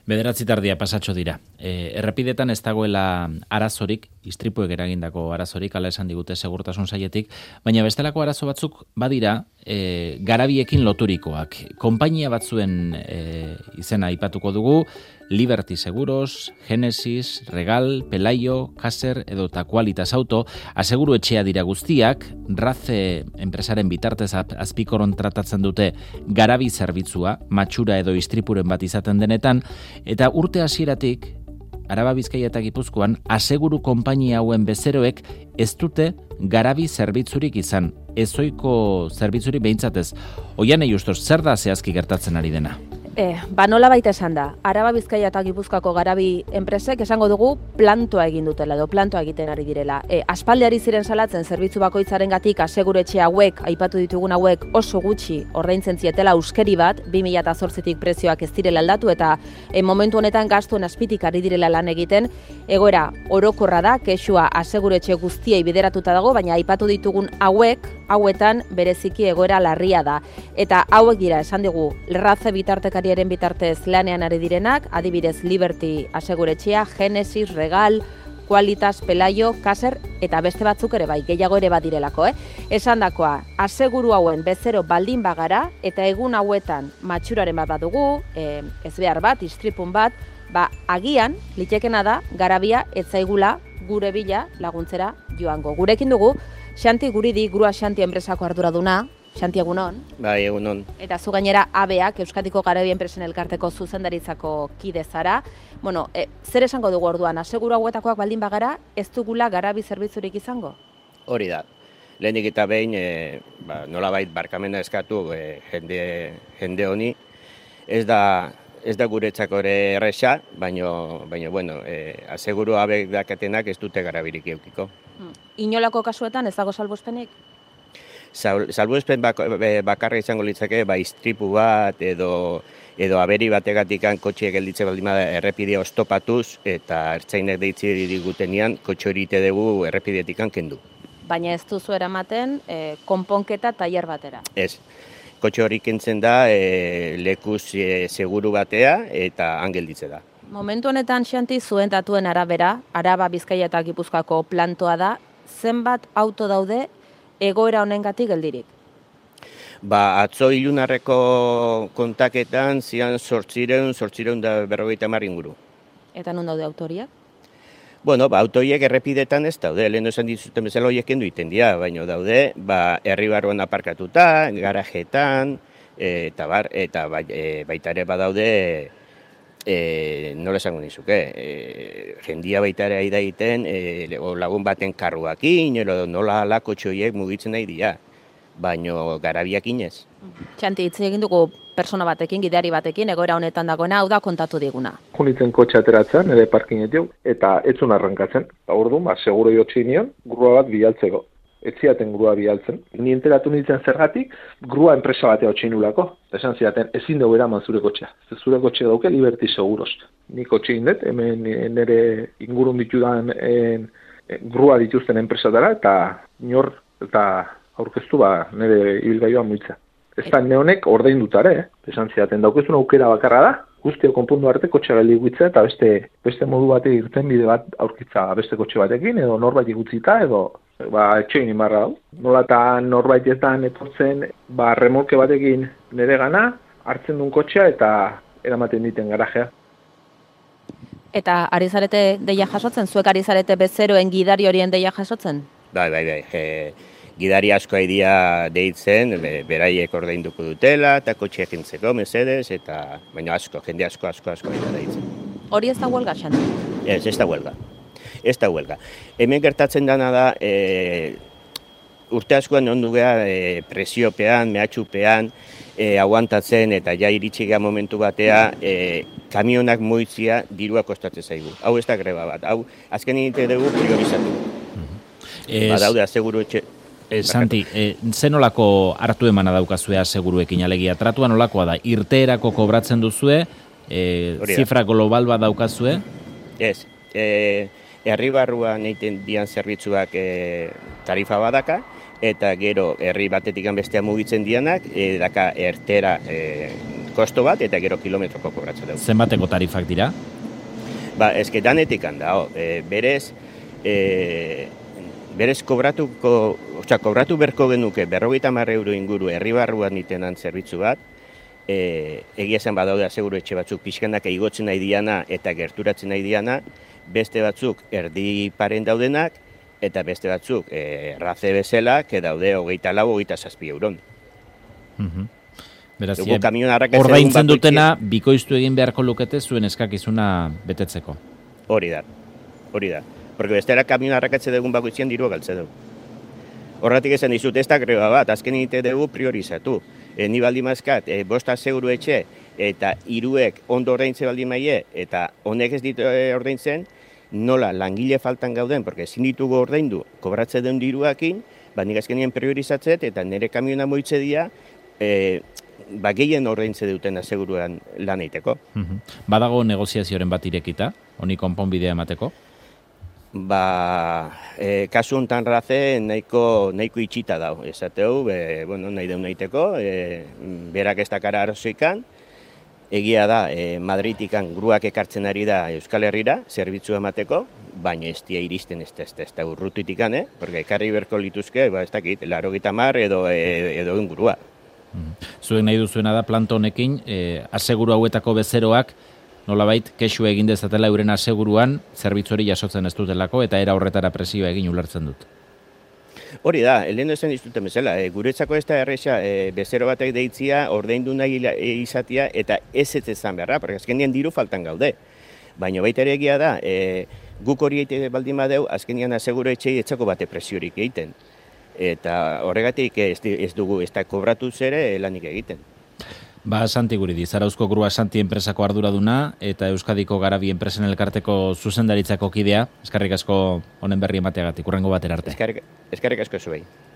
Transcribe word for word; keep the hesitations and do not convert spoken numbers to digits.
Bederatzi tardia pasatxo dira. E, errepidetan ez dagoela arazorik, istripuek eragindako arazorik, ala esan digute segurtasun saietik, baina bestelako arazo batzuk badira e, garabiekin loturikoak. Konpainia batzuen e, izena aipatuko dugu, Liberty Seguros, Genesis, Regal, Pelayo, Caser edo ta Qualitas Auto, aseguru etxea dira guztiak, Raze enpresaren bitartez azpikoron tratatzen dute garabi zerbitzua, matxura edo istripuren bat izaten denetan, eta urte hasieratik Araba Bizkaia eta Gipuzkoan aseguru konpainia hauen bezeroek ez dute garabi zerbitzurik izan, ezoiko zerbitzurik behintzatez. Oianei Ustos, zer da zehazki gertatzen ari dena? E, ba nola baita esan da, Araba Bizkaia eta Gipuzkoako garabi enpresek esango dugu plantoa egin dutela edo plantoa egiten ari direla. E, aspaldiari ziren salatzen zerbitzu bakoitzaren gatik aseguretxe hauek, aipatu ditugun hauek oso gutxi ordaintzen zietela euskeri bat, bi mila zortzitik prezioak ez direla aldatu eta e, momentu honetan gastuen azpitik ari direla lan egiten, egoera orokorra da, kexua aseguretxe guztiei bideratuta dago, baina aipatu ditugun hauek, hauetan bereziki egoera larria da. Eta hauek dira, esan digu, Raze bitartekariaren bitartez lanean ari direnak, adibidez Liberty aseguretxea, Genesis, Regal, Qualitas, Pelayo, Caser eta beste batzuk ere bai, gehiago ere badirelako, eh? Esandakoa, aseguru hauen bezero baldin bagara eta egun hauetan matxuraren bat badugu, eh, ez behar bat, istripun bat, ba agian litekena da garabia etzaigula gure bila laguntzera joango. Gurekin dugu Xanti Guridi, Grua Xanti enpresako arduraduna. Xanti, egunon. Bai, egunon. Eta zu gainera A B A, Euskadiko Garabi Enpresen Elkarteko zuzendaritzako kide zara. Bueno, e, zer esango dugu orduan, aseguru hauetakoak baldin bagara, ez dugula garabi zerbitzurik izango? Hori da. Lehenik eta behin, e, ba, nolabait barkamena eskatu e, jende, jende honi. Ez da, ez da guretzako ere erresa, baino, baino bueno, e, aseguru abek dakatenak ez dute garabirik eukiko. Hmm. Inolako kasuetan ez dago salbuespenik? Salbuespen bakarra izango litzake, ba, istripu bat edo edo aberi bategatikan kotxe gelditze baldin bada errepidea ostopatuz eta ertzainek deitzi digutenian kotxe hori ite dugu errepidetikan kendu. Baina ez duzu eramaten e, konponketa tailer batera? Ez. Kotxe hori kentzen da e, lekuz e, seguru batea eta han gelditze da. Momentu honetan, Xanti, zuen datuen arabera, Araba Bizkaia eta Gipuzkoako plantoa da, zenbat auto daude egoera honengatik geldirik? Ba, atzo ilunarreko kontaketan zian zortzireun, zortzireun da berrogeita hamar inguru. Eta non daude autoriak? Bueno, ba, autoiek errepidetan ez daude, lehen esan dizuten bezala horiek kendu iten dira, baina daude, ba, herri barruan aparkatuta, garajetan, e, eta bar, eta ba, e, baita ere badaude, E, nola esango nizuke, e, jendia baita ere aida egiten, e, lagun baten karruakin, nola alako txoiek mugitzen nahi dira, baino garabiak inez. Xanti, hitz egin dugu persona batekin, gidari batekin, egoera honetan dagoena, hau da kontatu diguna. Junitzen kotxe ateratzen, ere parkinetik, eta etzun arrankatzen. Orduan, ba, seguro jotzi nion, grua bat bialtzeko. Etziaten grua bialtzen. Ni enteratu nintzen zergatik, grua enpresa batea otxinulako. Esan zidaten, ezin dugu eraman zure kotxea. Zure kotxe dauke Liberty Seguros. Ni kotxe indet, hemen nire ingurun ditudan en, en, grua dituzten enpresadara, eta nor eta aurkeztu ba nire ibilgailua muitza. Ez da neonek ordein dutare, eh? Esan zidaten, daukezun aukera bakarra da, guztio konpundu arte kotxe gali guitza, eta beste, beste modu batek irten bide bat aurkitza beste kotxe batekin, edo norbait igutzita, edo ba, etxoin imarra hau. Nola eta norbaitetan etortzen, ba, remolke batekin nire gana, hartzen duen kotxea eta eramaten diten garajea. Eta ari zarete deia jasotzen? Zuek ari zarete bezeroen gidari horien deia jasotzen? Bai, bai, bai. E, gidari asko aidia deitzen, be, beraiek ordainduko dutela, eta kotxea jentzeko, mesedez, eta baina asko, jende asko, asko, asko aidia deitzen. Hori ez da huelga, Xanti? Ez, ez da huelga. Ez da huelga. Hemen gertatzen dana da, e, urte askoan ondu geha e, presiopean, mehatxupean, e, aguantatzen eta ja iritsi geha momentu batea, e, kamionak moitzia dirua kostatzen zaigu. Hau ez da greba bat, hau azken egite dugu priorizatu. Es... Badaude aseguru etxe... E, Santi, e, zen olako hartu emana daukazue aseguruekin alegia? Tratua nolakoa da? Irteerako kobratzen duzue? E, zifra global bat daukazue? Ez. E, herri barruan egiten dian zerbitzuak e, tarifa badaka, eta gero herri batetik bestea mugitzen dianak, e, daka ertera e, kosto bat eta gero kilometroko kobratzen dugu. Zenbateko tarifak dira? Ba, eske danetik handa, e, berez, e, berez kobratuko, osea, kobratu berko genuke berrogeita hamar euro inguru herri barruan itenan zerbitzu bat, e, egia zen badaude aseguru etxe batzuk pixkanak igotzen nahi diana eta gerturatzen nahi diana, beste batzuk erdi paren daudenak, eta beste batzuk e, raze bezala, que daude hogeita lau, hogeita zazpi euron. Mhm. Beraz, Dugu kamion arrakatzen ordaintzen bakoitzien- dutena bikoiztu egin beharko lukete zuen eskakizuna betetzeko. Hori da, hori da. Porque bestera kamion arrakatze dugun bakoitzien dirua galtze dugu. Horratik esan dizut, ez da greba bat, azken egite dugu priorizatu. E, ni baldin mazkat, e, bosta seguru etxe, eta hiruek ondo ordaintze baldin maie, eta honek ez ditu e, ordaintzen, nola langile faltan gauden, porque ezin ditugu ordaindu, kobratze den diruakin, ba nik azkenien priorizatzet, eta nire kamiona moitze dira, e, ba gehien ordaintze duten aseguruan lan eiteko. Mhm. Badago negoziazioren bat irekita, honi konponbidea emateko? Ba, e, kasu hontan raze nahiko, nahiko itxita dau, esateu, e, bueno, nahi deun nahiteko, e, berak ez dakara arrazoikan, egia da, e, Madridikan gruak ekartzen ari da Euskal Herrira, zerbitzu emateko, baina ez dia iristen ez da, ez da, ez da urrutitikan, eh? Porque ekarri berko lituzke, ba, ez dakit, laurogeita hamar edo, e, edo ingurua. Mhm. Zuek nahi duzuena da planto honekin, e, aseguru hauetako bezeroak, nolabait, kexu egin dezatela euren aseguruan, zerbitzu hori jasotzen ez dutelako, eta era horretara presioa egin ulertzen dut. Hori da, lehen esan dizuten bezala, e, guretzako ez da erresa, e, bezero batek deitzia, ordaindu nahi ila- e, izatia, eta ez ez ezan beharra, porque azkenean diru faltan gaude. Baina baita ere egia da, e, guk hori egite baldin badeu, azkenean aseguru etxei etzako bate presiorik egiten. Eta horregatik ez, di- ez dugu, ez da kobratu zere lanik egiten. Ba, Santi Guridi, Zarauzko Grua Santi enpresako arduraduna eta Euskadiko Garabi enpresen elkarteko zuzendaritzako kidea. Eskerrik asko honen berri emateagatik, urrengo batera arte. Eskerrik eskerrik asko zuei.